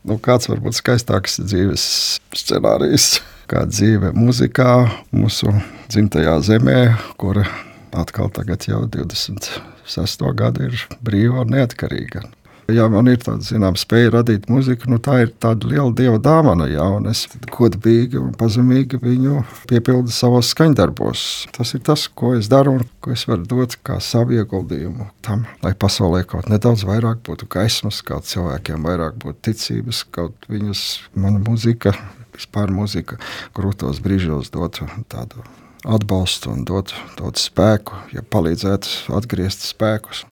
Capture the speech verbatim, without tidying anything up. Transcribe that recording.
Nu, kāds varbūt skaistāks dzīves scenārijs, kā dzīve muzikā mūsu dzimtajā zemē, kura atkal tagad jau divdesmit sesto gadu ir brīva un neatkarīga. Ja man ir tāda zināma spēja radīt muziku, nu tā ir tāda liela dieva dāvana, jā, un es godīgi un pazemīgi viņu piepildu savos skaņdarbos. Tas ir tas, ko es daru un ko es varu dot kā savu ieguldījumu tam, lai pasaulē kaut nedaudz vairāk būtu gaismas, kaut cilvēkiem vairāk būtu ticības, kaut viņus mana muzika, vispār muzika grūtos brīžos dotu tādu atbalstu un dotu, dotu spēku, ja palīdzētu atgriezt spēkus.